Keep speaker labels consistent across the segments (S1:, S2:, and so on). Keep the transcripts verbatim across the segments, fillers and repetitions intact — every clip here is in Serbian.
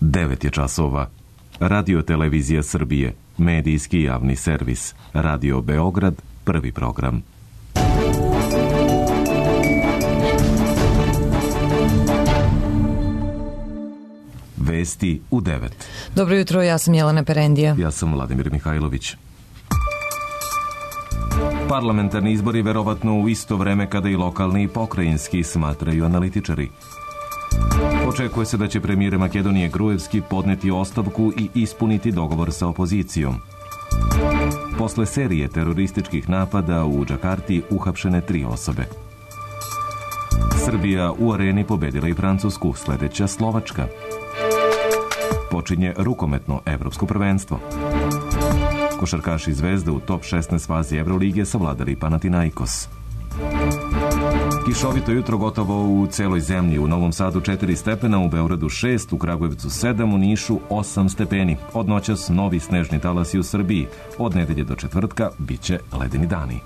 S1: devet je časova. Radio Televizija Srbije, medijski javni servis. Radio Beograd, prvi program. Vesti u devet.
S2: Dobro jutro, ja sam Jelena Perendija.
S1: Ja sam Vladimir Mihajlović. Parlamentarni izbori verovatno u isto vreme kada i lokalni i pokrajinski, smatraju analitičari. Očekuje se da će premijer Makedonije Gruevski podneti ostavku i ispuniti dogovor sa opozicijom. Posle serije terorističkih napada u Džakarti uhapšene tri osobe. Srbija u areni pobedila i Francusku, sledeća Slovačka. Počinje rukometno evropsko prvenstvo. Košarkaši Zvezde u top šesnaest fazi Evrolige savladali Panathinaikos. Kišovito jutro gotovo u celoj zemlji. U Novom Sadu četiri stepena, u Beogradu šest, u Kragujevcu sedam, u Nišu osam stepeni. Od noćas novi snežni talasi u Srbiji. Od nedelje do četvrtka biće ledeni dani.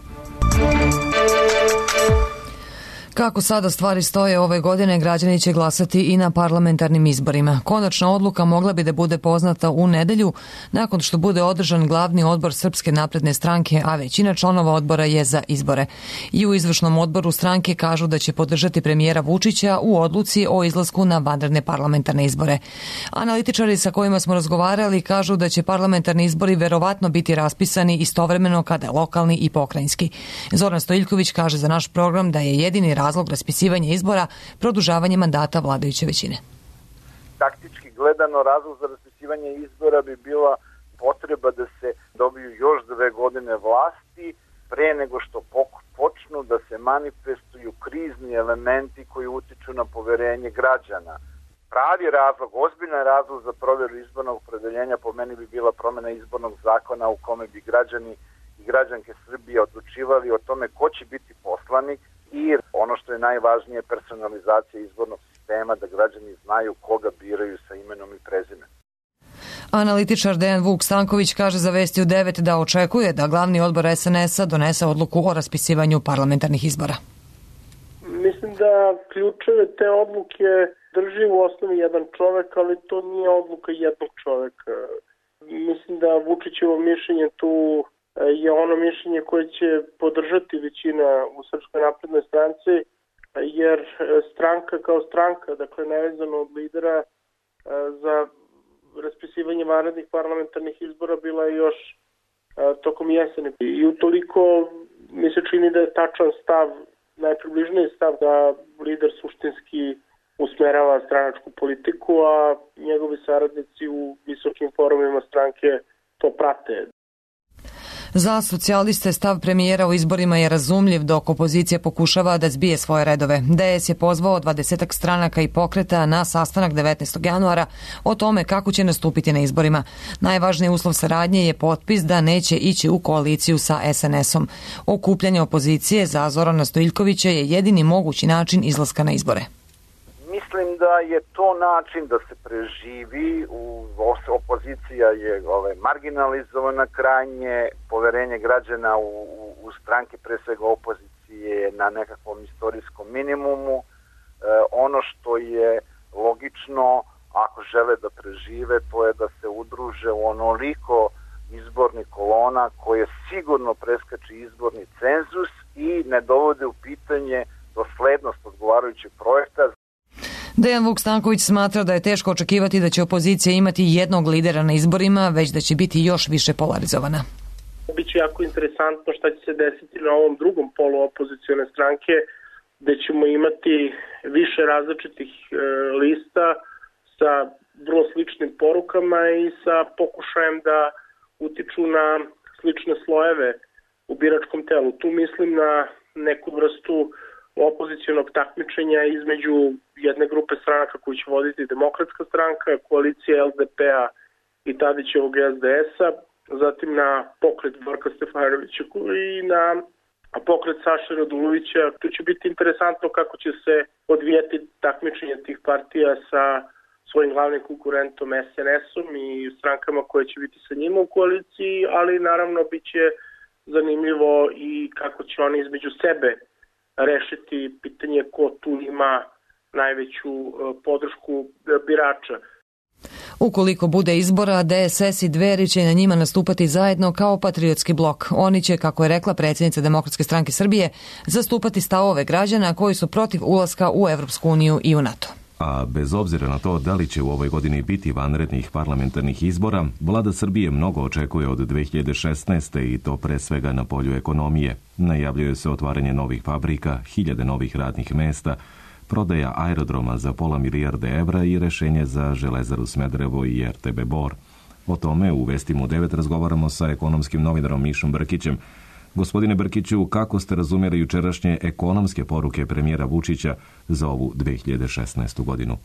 S2: Kako sada stvari stoje ove godine, građani će glasati i na parlamentarnim izborima. Konačna odluka mogla bi da bude poznata u nedelju, nakon što bude održan glavni odbor Srpske napredne stranke, a većina članova odbora je za izbore. I u izvršnom odboru stranke kažu da će podržati premijera Vučića u odluci o izlasku na vanredne parlamentarne izbore. Analitičari sa kojima smo razgovarali kažu da će parlamentarni izbori verovatno biti raspisani istovremeno kada lokalni i pokrajinski. Zoran Stojiljković kaže za naš program da je jedini razlog razlog raspisivanja izbora produžavanje mandata vladajuće većine.
S3: Taktički gledano, razlog za raspisivanje izbora bi bila potreba da se dobiju još dve godine vlasti pre nego što počnu da se manifestuju krizni elementi koji utiču na poverenje građana. Pravi razlog, ozbiljan razlog za provjeru izbornog opredeljenja po meni bi bila promjena izbornog zakona u kome bi građani i građanke Srbije odlučivali o tome ko će biti poslanik, i ono što je najvažnije, personalizacija izbornog sistema, da građani znaju koga biraju sa imenom i prezimenom.
S2: Analitičar Dejan Vuk Stanković kaže za Vesti u devet da očekuje da glavni odbor es en es a donese odluku o raspisivanju parlamentarnih izbora.
S4: Mislim da ključeve te odluke drži u osnovi jedan čovek, ali to nije odluka jednog čoveka. Mislim da Vučićevo mišljenje tu je ono mišljenje koje će podržati većina u Srpskoj naprednoj stranci, jer stranka kao stranka, dakle nevezano od lidera, za raspisivanje vanrednih parlamentarnih izbora bila je još tokom jeseni. I utoliko mi se čini da je tačan stav, najpribližniji stav da lider suštinski usmerava stranačku politiku, a njegovi saradnici u visokim forumima stranke to prate.
S2: Za socijaliste stav premijera u izborima je razumljiv, dok opozicija pokušava da zbije svoje redove. de es je pozvao dvadesetak stranaka i pokreta na sastanak devetnaestog januara o tome kako će nastupiti na izborima. Najvažniji uslov saradnje je potpis da neće ići u koaliciju sa es en es om. Okupljanje opozicije za Zorana Stojiljkovića je jedini mogući način izlaska na izbore.
S3: Mislim da je to način da se preživi, u, opozicija je ove, marginalizovana krajnje, poverenje građana u, u, u stranke, pre svega opozicije, je na nekakvom istorijskom minimumu. E, ono što je logično, ako žele da prežive, to je da se udruže u onoliko izbornih kolona koje sigurno preskače izborni cenzus i ne dovode u pitanje doslednost odgovarajućeg projekta.
S2: Dejan Vuk Stanković smatra da je teško očekivati da će opozicija imati jednog lidera na izborima, već da će biti još više polarizovana.
S4: Biće jako interesantno šta će se desiti na ovom drugom polu opozicione stranke, gde ćemo imati više različitih e, lista sa vrlo sličnim porukama i sa pokušajem da utiču na slične slojeve u biračkom telu. Tu mislim na neku vrstu opozicionog takmičenja između jedne grupe stranaka koju će voditi Demokratska stranka, koalicija el de pe a i Tadićevog es de es a, zatim na pokret Borka Stefanovića i na pokret Saše Radulovića. Tu će biti interesantno kako će se odvijati takmičenje tih partija sa svojim glavnim konkurentom es en es om i strankama koje će biti sa njima u koaliciji, ali naravno bit će zanimljivo i kako će oni između sebe rešiti pitanje ko tu ima najveću podršku birača.
S2: Ukoliko bude izbora, D S S i Dveri će na njima nastupati zajedno kao patriotski blok. Oni će, kako je rekla predsjednica Demokratske stranke Srbije, zastupati stavove građana koji su protiv ulaska u Evropsku uniju i u NATO.
S1: A bez obzira na to da li će u ovoj godini biti vanrednih parlamentarnih izbora, vlada Srbije mnogo očekuje od dve hiljade šesnaeste. i to pre svega na polju ekonomije. Najavljuje se otvaranje novih fabrika, hiljade novih radnih mesta, prodaja aerodroma za pola milijarde evra i rešenje za Železaru Smederevo i R T B Bor. O tome u Vestima u devet razgovaramo sa ekonomskim novinarom Mišom Brkićem. Gospodine Brkiću, kako ste razumjeli jučerašnje ekonomske poruke premijera Vučića za ovu dve hiljade šesnaestu. godinu?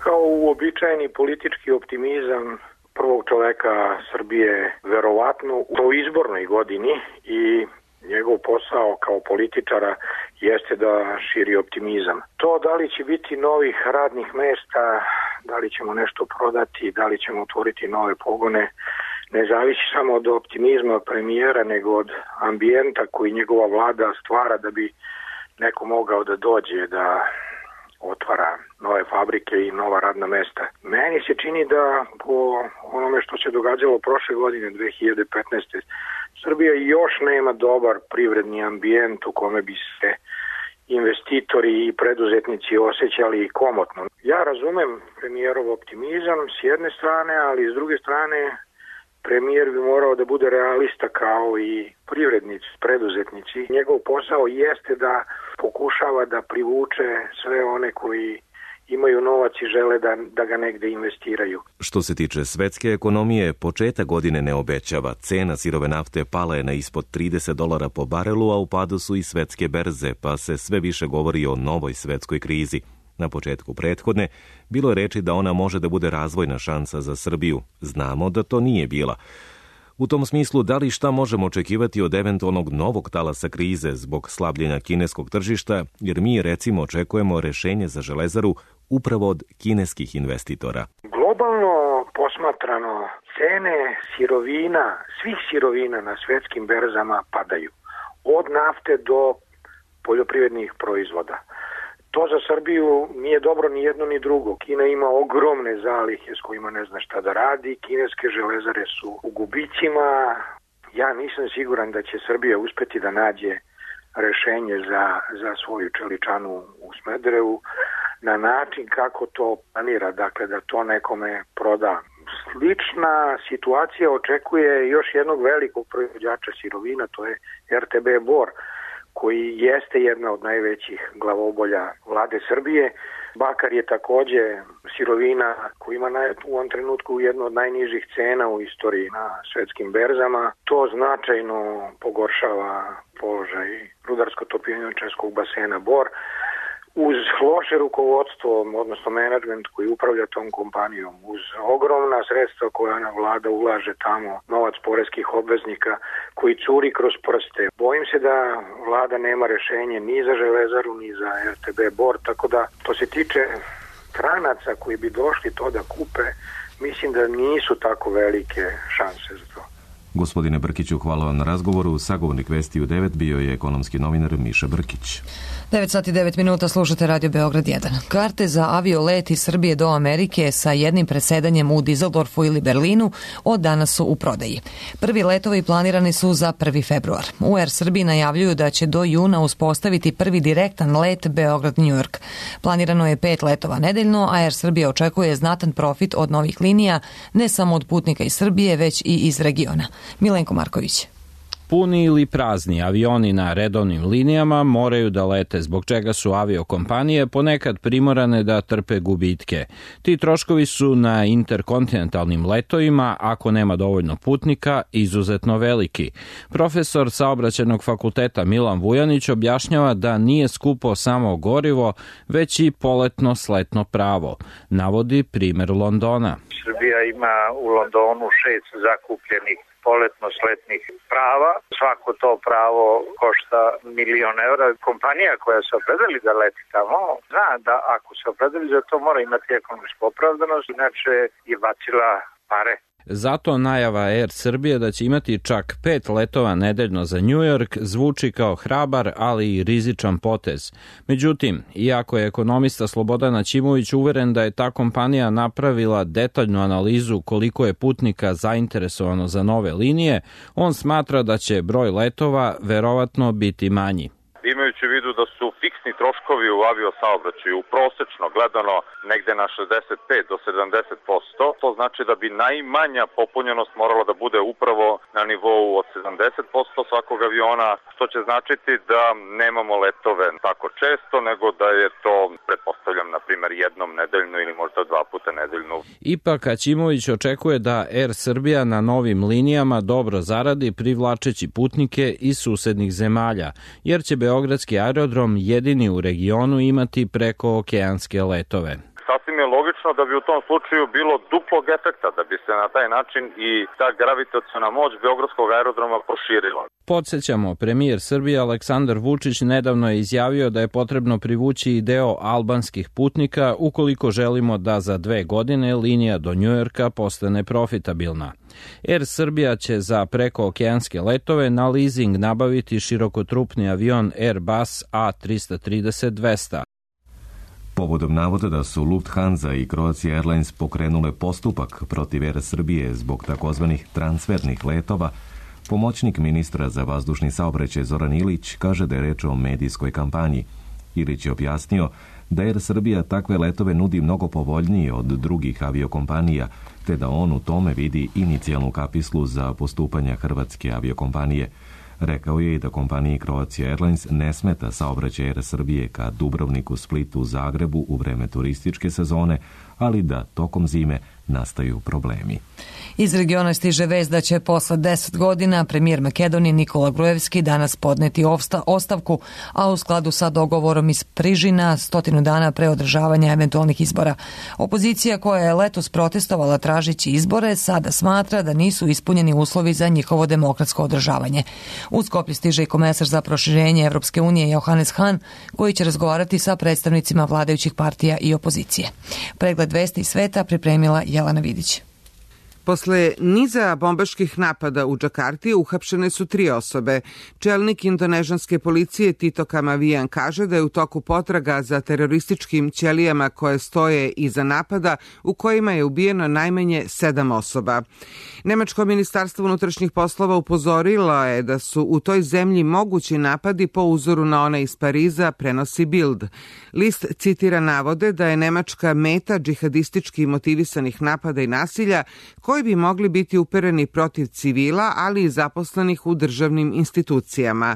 S5: Kao uobičajeni politički optimizam prvog čoveka Srbije, verovatno u izbornoj godini, i njegov posao kao političara jeste da širi optimizam. To da li će biti novih radnih mesta, da li ćemo nešto prodati, da li ćemo otvoriti nove pogone, ne zavisi samo od optimizma premijera, nego od ambijenta koji njegova vlada stvara da bi neko mogao da dođe da otvara nove fabrike i nova radna mesta. Meni se čini da po onome što se događalo prošle godine, dve hiljade petnaeste. Srbija još nema dobar privredni ambijent u kome bi se investitori i preduzetnici osjećali komotno. Ja razumem premijerov optimizam s jedne strane, ali s druge strane premijer bi morao da bude realista kao i privrednici, preduzetnici. Njegov posao jeste da pokušava da privuče sve one koji imaju novac i žele da, da ga negde investiraju.
S1: Što se tiče svetske ekonomije, početak godine ne obećava. Cena sirove nafte pala je na ispod trideset dolara po barelu, a u padu su i svetske berze, pa se sve više govori o novoj svetskoj krizi. Na početku prethodne bilo je reči da ona može da bude razvojna šansa za Srbiju. Znamo da to nije bila. U tom smislu, da li šta možemo očekivati od eventualnog novog talasa krize zbog slabljenja kineskog tržišta, jer mi recimo očekujemo rešenje za Železaru upravo od kineskih investitora.
S5: Globalno posmatrano, cene sirovina, svih sirovina na svetskim berzama padaju. Od nafte do poljoprivrednih proizvoda. To za Srbiju nije dobro ni jedno ni drugo. Kina ima ogromne zalihe s kojima ne zna šta da radi. Kineske železare su u gubicima. Ja nisam siguran da će Srbija uspeti da nađe rešenje za, za svoju čeličanu u Smederevu na način kako to planira, dakle da to nekome proda. Slična situacija očekuje još jednog velikog proizvođača sirovina, to je R T B Bor, koji jeste jedna od najvećih glavobolja vlade Srbije. Bakar je takođe sirovina koja ima u ovom trenutku jednu od najnižih cena u istoriji na svetskim berzama. To značajno pogoršava položaj rudarsko-topioničarskog basena Bor. Uz loše rukovodstvo, odnosno menadžment koji upravlja tom kompanijom, uz ogromna sredstva koja vlada ulaže tamo, novac poreskih obveznika koji curi kroz prste. Bojim se da vlada nema rešenje ni za Železaru, ni za R T B Bor, tako da to se tiče stranaca koji bi došli to da kupe, mislim da nisu tako velike šanse za to.
S1: Gospodine Brkiću, hvala vam na razgovoru. Sagovornik Vesti u devet bio je ekonomski novinar Miša Brkić.
S2: devet sati devet minuta, slušate Radio Beograd jedan. Karte za aviolet iz Srbije do Amerike sa jednim presedanjem u Dizeldorfu ili Berlinu od danas su u prodaji. Prvi letovi planirani su za prvi februar. U Air Srbiji najavljuju da će do juna uspostaviti prvi direktan let Beograd-New York. Planirano je pet letova nedeljno, a Air Srbija očekuje znatan profit od novih linija, ne samo od putnika iz Srbije, već i iz regiona. Milenko Marković.
S6: Puni ili prazni avioni na redovnim linijama moraju da lete, zbog čega su aviokompanije ponekad primorane da trpe gubitke. Ti troškovi su na interkontinentalnim letovima, ako nema dovoljno putnika, izuzetno veliki. Profesor Saobraćajnog fakulteta Milan Vujanić objašnjava da nije skupo samo gorivo, već i poletno sletno pravo. Navodi primer Londona.
S7: Srbija ima u Londonu šest zakupljenih poletno-sletnih prava. Svako to pravo košta milion evra. Kompanija koja se opredeli da leti tamo, zna da ako se opredeli za to mora imati ekonomsku opravdanost, inače je bacila pare.
S6: Zato najava Air Srbije da će imati čak pet letova nedeljno za New York zvuči kao hrabar, ali i rizičan potez. Međutim, iako je ekonomista Slobodan Ćimović uveren da je ta kompanija napravila detaljnu analizu koliko je putnika zainteresovano za nove linije, on smatra da će broj letova verovatno biti manji.
S8: Imajući u vidu da su fiksni troškovi u aviosaobraćaju prosečno gledano negde na šezdeset pet do sedamdeset posto, to znači da bi najmanja popunjenost morala da bude upravo na nivou od sedamdeset posto svakog aviona, što će značiti da nemamo letove tako često, nego da je to, pretpostavljam, na primer jednom nedeljno ili možda dva puta nedeljno.
S6: Ipak Ćimović očekuje da Air Srbija na novim linijama dobro zaradi privlačeći putnike iz susednih zemalja, jer će Beogradski aerodrom jedini u regionu imati preko okeanske letove.
S8: Sasvim je logično da bi u tom slučaju bilo duplog efekta, da bi se na taj način i ta gravitaciona moć Beogradskog aerodroma proširila.
S6: Podsjećamo, premijer Srbije Aleksandar Vučić nedavno je izjavio da je potrebno privući i deo albanskih putnika ukoliko želimo da za dve godine linija do Njujorka postane profitabilna. Air Srbija će za prekookeanske letove na leasing nabaviti širokotrupni avion Airbus A trista trideset dvesta.
S1: Povodom navoda da su Lufthansa i Croatia Airlines pokrenule postupak protiv Air Srbije zbog takozvanih transfernih letova, pomoćnik ministra za vazdušni saobraćaj Zoran Ilić kaže da je reč o medijskoj kampanji. Ilić je objasnio da Air Srbija takve letove nudi mnogo povoljnije od drugih aviokompanija, te da on u tome vidi inicijalnu kapislu za postupanja hrvatske aviokompanije. Rekao je i da kompaniji Croatia Airlines ne smeta saobraćaj Air Srbije ka Dubrovniku, Splitu, Zagrebu u vreme turističke sezone, ali da tokom zime nastaju problemi.
S2: Iz regiona stiže vest da će posle deset godina premijer Makedonije Nikola Gruevski danas podneti ostavku, a u skladu sa dogovorom iz Prižina stotinu dana pre održavanja eventualnih izbora. Opozicija koja je letos protestovala tražići izbore sada smatra da nisu ispunjeni uslovi za njihovo demokratsko održavanje. U Skoplje stiže i komesar za proširenje Evropske unije Johannes Hahn, koji će razgovarati sa predstavnicima vladajućih partija i opozicije. Pregled vesti iz sveta pripremila Jelena Vidić.
S9: Posle niza bombaških napada u Džakarti uhapšene su tri osobe. Čelnik indonežanske policije Tito Kamavijan kaže da je u toku potraga za terorističkim ćelijama koje stoje iza napada u kojima je ubijeno najmanje sedam osoba. Nemačko ministarstvo unutrašnjih poslova upozorilo je da su u toj zemlji mogući napadi po uzoru na one iz Pariza, prenosi Bild. List citira navode da je Nemačka meta džihadistički motivisanih napada i nasilja koji bi mogli biti upereni protiv civila, ali i zaposlenih u državnim institucijama.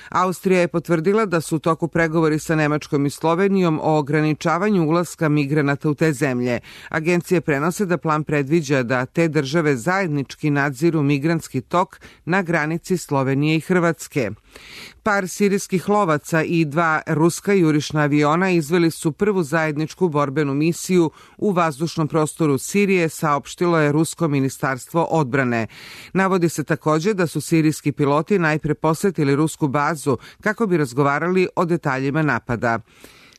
S9: Austrija je potvrdila da su u toku pregovori sa Nemačkom i Slovenijom o ograničavanju ulaska migranata u te zemlje. Agencije prenose da plan predviđa da te države zajednički nadziru migrantski tok na granici Slovenije i Hrvatske. Par sirijskih lovaca i dva ruska jurišna aviona izveli su prvu zajedničku borbenu misiju u vazdušnom prostoru Sirije, saopštilo je Rusko ministarstvo odbrane. Navodi se također da su sirijski piloti najpre posetili rusku bazu kako bi razgovarali o detaljima napada.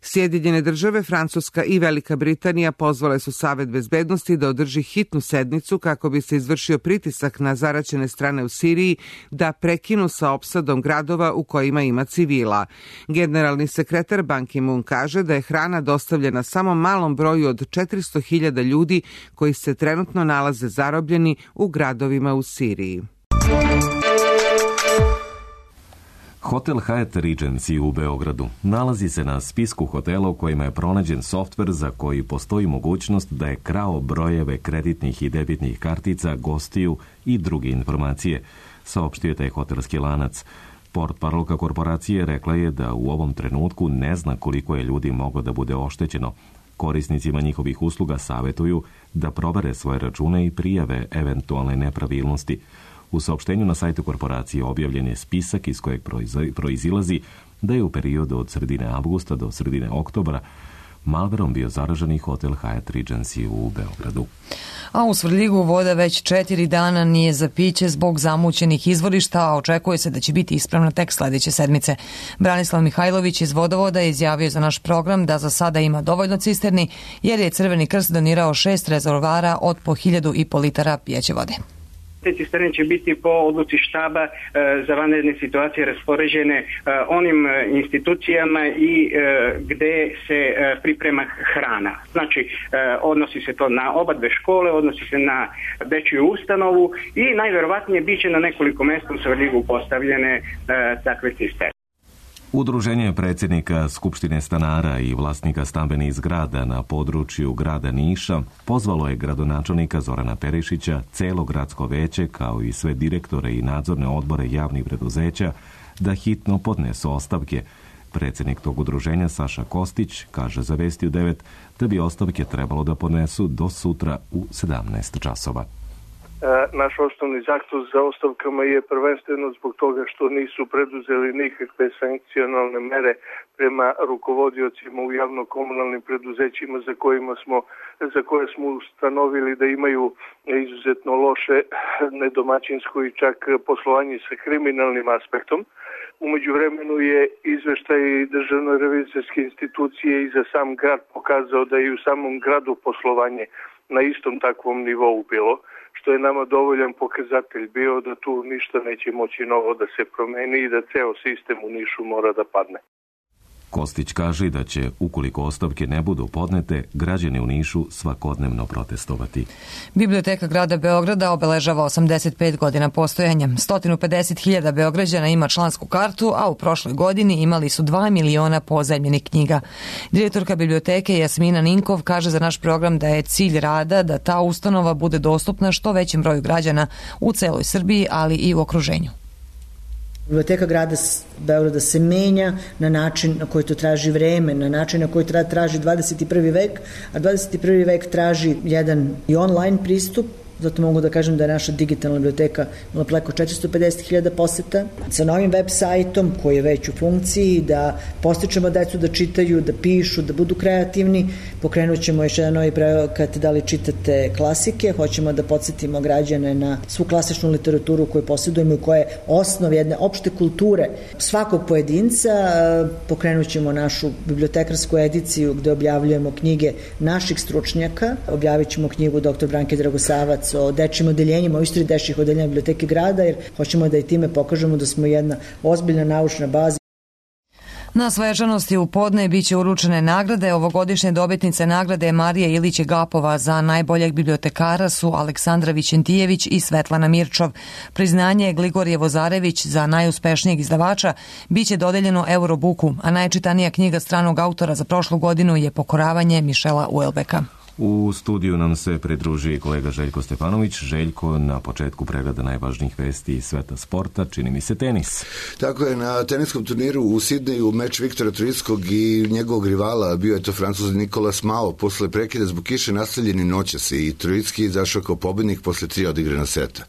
S9: Sjedinjene države, Francuska i Velika Britanija pozvale su Savet bezbednosti da održi hitnu sednicu kako bi se izvršio pritisak na zaraćene strane u Siriji da prekinu sa opsadom gradova u kojima ima civila. Generalni sekretar Ban Ki-moon kaže da je hrana dostavljena samo malom broju od četiristo hiljada ljudi koji se trenutno nalaze zarobljeni u gradovima u Siriji.
S1: Hotel Hyatt Regency u Beogradu nalazi se na spisku hotela u kojima je pronađen softver za koji postoji mogućnost da je krao brojeve kreditnih i debitnih kartica, gostiju i druge informacije, saopštio je taj hotelski lanac. Portparolka korporacije rekla je da u ovom trenutku ne zna koliko je ljudi moglo da bude oštećeno. Korisnicima njihovih usluga savetuju da provere svoje račune i prijave eventualne nepravilnosti. U saopštenju na sajtu korporacije objavljen je spisak iz kojeg proizilazi da je u periodu od sredine avgusta do sredine oktobra malverom bio zaraženi hotel Hyatt Regency u Beogradu.
S2: A u Svrljigu voda već četiri dana nije za piće zbog zamućenih izvorišta, a očekuje se da će biti ispravna tek sledeće sedmice. Branislav Mihajlović iz Vodovoda je izjavio za naš program da za sada ima dovoljno cisterni, jer je Crveni krst donirao šest rezervoara od po hiljadu i po litara pijeće vode.
S10: Te cisterne će biti po odluci štaba e, za vanredne situacije raspoređene e, onim e, institucijama i e, gde se e, priprema hrana. Znači, e, odnosi se to na oba dve škole, odnosi se na dečju ustanovu i najverovatnije biće na nekoliko mesta u Svrljigu postavljene e, takve cisterne.
S1: Udruženje predsjednika Skupštine stanara i vlasnika stambenih zgrada na području grada Niša pozvalo je gradonačelnika Zorana Perišića, celo gradsko veće, kao i sve direktore i nadzorne odbore javnih preduzeća, da hitno podnesu ostavke. Predsjednik tog udruženja Saša Kostić kaže za Vesti u devet da bi ostavke trebalo da podnesu do sutra u sedamnaest časova.
S11: Naš osnovni zahtev za ostavkama je prvenstveno zbog toga što nisu preduzeli nikakve sankcionalne mere prema rukovodiocima u javno-komunalnim preduzećima za kojima smo, za koje smo ustanovili da imaju izuzetno loše nedomaćinsko i čak poslovanje sa kriminalnim aspektom. Umeđu vremenu je izveštaj Državne revizorske institucije i za sam grad pokazao da je u samom gradu poslovanje na istom takvom nivou bilo, što je nama dovoljan pokazatelj bio da tu ništa neće moći novo da se promeni i da ceo sistem u Nišu mora da padne.
S1: Kostić kaže da će, ukoliko ostavke ne budu podnete, građani u Nišu svakodnevno protestovati.
S2: Biblioteka grada Beograda obeležava osamdeset pet godina postojanja. sto pedeset hiljada Beograđana ima člansku kartu, a u prošloj godini imali su dva miliona pozajmljenih knjiga. Direktorka biblioteke Jasmina Ninkov kaže za naš program da je cilj rada da ta ustanova bude dostupna što većem broju građana u celoj Srbiji, ali i u okruženju.
S12: Biblioteka grada Beograda se menja na način na koji to traži vreme, na način na koji traži dvadeset prvi vek, a dvadeset prvi vek traži jedan i online pristup. Zato mogu da kažem da je naša digitalna biblioteka imala preko četiristo pedeset hiljada poseta. Sa novim web sajtom koji je već u funkciji, da postičemo decu da čitaju, da pišu, da budu kreativni. Pokrenut ćemo još jedan novi projekat da li čitate klasike. Hoćemo da podsjetimo građane na svu klasičnu literaturu koju posjedujemo i koja je osnov jedne opšte kulture svakog pojedinca. Pokrenut ćemo našu bibliotekarsku ediciju gde objavljujemo knjige naših stručnjaka. Objavit ćemo knjigu doktor Branke Dragosavac o dečjim odeljenjima, o istoriji dečjih odeljenja biblioteke grada, jer hoćemo da i time pokažemo da smo jedna ozbiljna naučna baza.
S2: Na svečanosti u podne biće uručene nagrade. Ovogodišnje dobitnice nagrade Marija Ilić Gapova za najboljeg bibliotekara su Aleksandra Vićentijević i Svetlana Mirčov. Priznanje Gligorije Vozarević za najuspešnijeg izdavača biće dodeljeno Eurobuku, a najčitanija knjiga stranog autora za prošlu godinu je Pokoravanje Mišela Uelbeka.
S1: U studiju nam se pridruži kolega Željko Stefanović. Željko, na početku pregleda najvažnijih vesti iz sveta sporta, čini mi se tenis.
S13: Tako je, na teniskom turniru u Sidneju meč Viktora Troickog i njegovog rivala bio je to Francuz Nikolas Mao. Posle prekida zbog kiše nastavljeni noćas i Troicki izašao kao pobednik posle tri odigrana seta.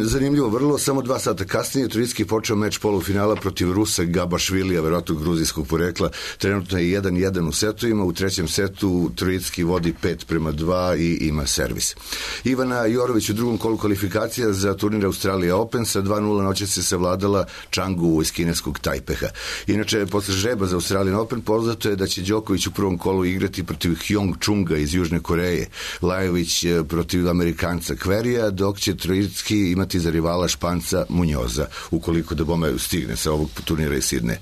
S13: Zanimljivo, vrlo, samo dva sata kasnije Troicki počeo meč polufinala protiv Rusa Gabašvilija, verovatno gruzijskog porekla. Trenutno je jedan jedan u setovima. U trećem setu Troicki vodi pet prema dva i ima servis. Ivana Jorović u drugom kolu kvalifikacija za turnir Australija Open sa dva nula noćas se savladala Changu iz kineskog Tajpeha. Inače, posle žreba za Australijan Open poznato je da će Đoković u prvom kolu igrati protiv Hyong Chunga iz Južne Koreje, Lajović protiv Amerikanca Kverija, dok će Troicki imati za rivala Španca Munjoza, ukoliko da bome stigne sa ovog turnira iz Sidneja.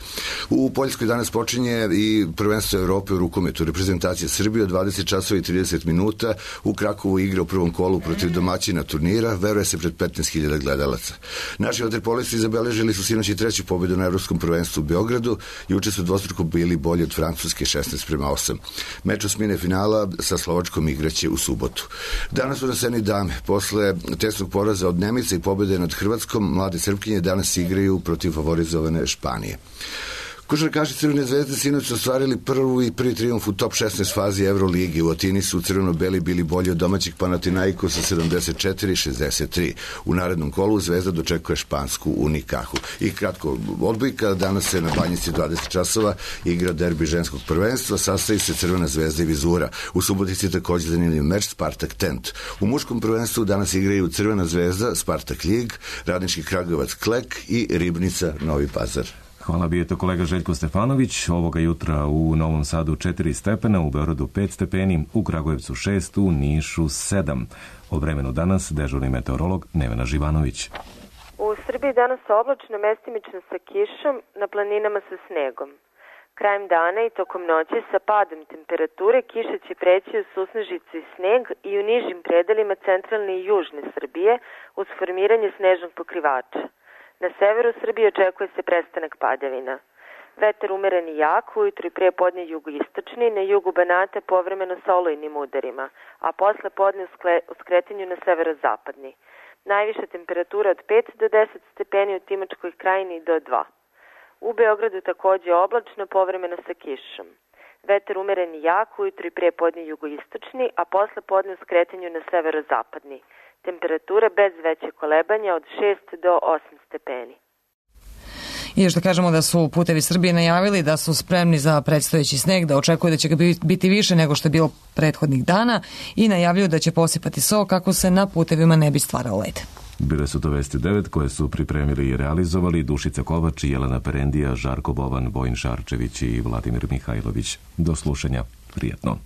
S13: U Poljskoj danas počinje i prvenstvo Evrope u rukometu. Reprezentacija Srbije od dvadeset časova i trideset minuta u Krakovu igra u prvom kolu protiv domaćina turnira, veruje se pred petnaest hiljada gledalaca. Naši vaterpolisti zabeležili su sinoć i treću pobedu na Evropskom prvenstvu u Beogradu, juče su dvostruko bili bolji od Francuske šesnaest prema osam. Meč osmine finala sa Slovačkom igraće u subotu. Danas su na sceni dame. Posle tesnog poraza od Nemice i pobede nad Hrvatskom, mlade Srpkinje danas igraju protiv favorizovane Španije. Košarkaši Crvene zvezde sinoć ostvarili prvu i prvi trijumf u top šesnaest fazi Euroligi. U Atini su crveno-beli bili bolji od domaćih Panathinaikosa sedamdeset četiri šezdeset tri. U narednom kolu Zvezda dočekuje špansku Unikahu. I kratko, odbojka, danas se na Banjici dvadeset časova igra derbi ženskog prvenstva, sastavi se Crvena zvezda i Vizura. U Subotici takođe zanimljiv meč Spartak Tent. U muškom prvenstvu danas igraju Crvena zvezda, Spartak Ljig, Radnički Kragujevac Klek i Ribnica Novi Pazar.
S1: Hvala, bio je to kolega Željko Stefanović. Ovoga jutra u Novom Sadu četiri stepena, u Beogradu pet stepeni, u Kragujevcu šest, u Nišu sedam. O vremenu danas dežurni meteorolog Nevena Živanović.
S14: U Srbiji danas oblačno, mestimično sa kišom, na planinama sa snegom. Krajem dana i tokom noći sa padom temperature kiša će preći u susnežicu i sneg i u nižim predelima centralne i južne Srbije uz formiranje snežnog pokrivača. Na severu Srbije očekuje se prestanak padavina. Vetar umeren i jak, ujutru i pre podne jugoistočni, na jugu Banata povremeno sa olujnim udarima, a posle podne u skretanju na severozapadni. Najviša temperatura od pet do deset stepeni, u Timočkoj krajini do dva. U Beogradu takođe oblačno, povremeno sa kišom. Vetar umeren i jak, ujutru i pre podne jugoistočni, a posle podne u skretanju na severozapadni. Temperatura bez veće kolebanja od šest do osam stepeni.
S2: I još da kažemo da su Putevi Srbije najavili da su spremni za predstojeći sneg, da očekuju da će ga biti više nego što je bilo prethodnih dana i najavljuju da će posipati so kako se na putevima ne bi stvarao led.
S1: Bile su to Vesti devet koje su pripremili i realizovali Dušica Kovač, Jelena Perendija, Žarko Bovan, Vojin Šarčević i Vladimir Mihajlović. Do slušanja. Prijatno.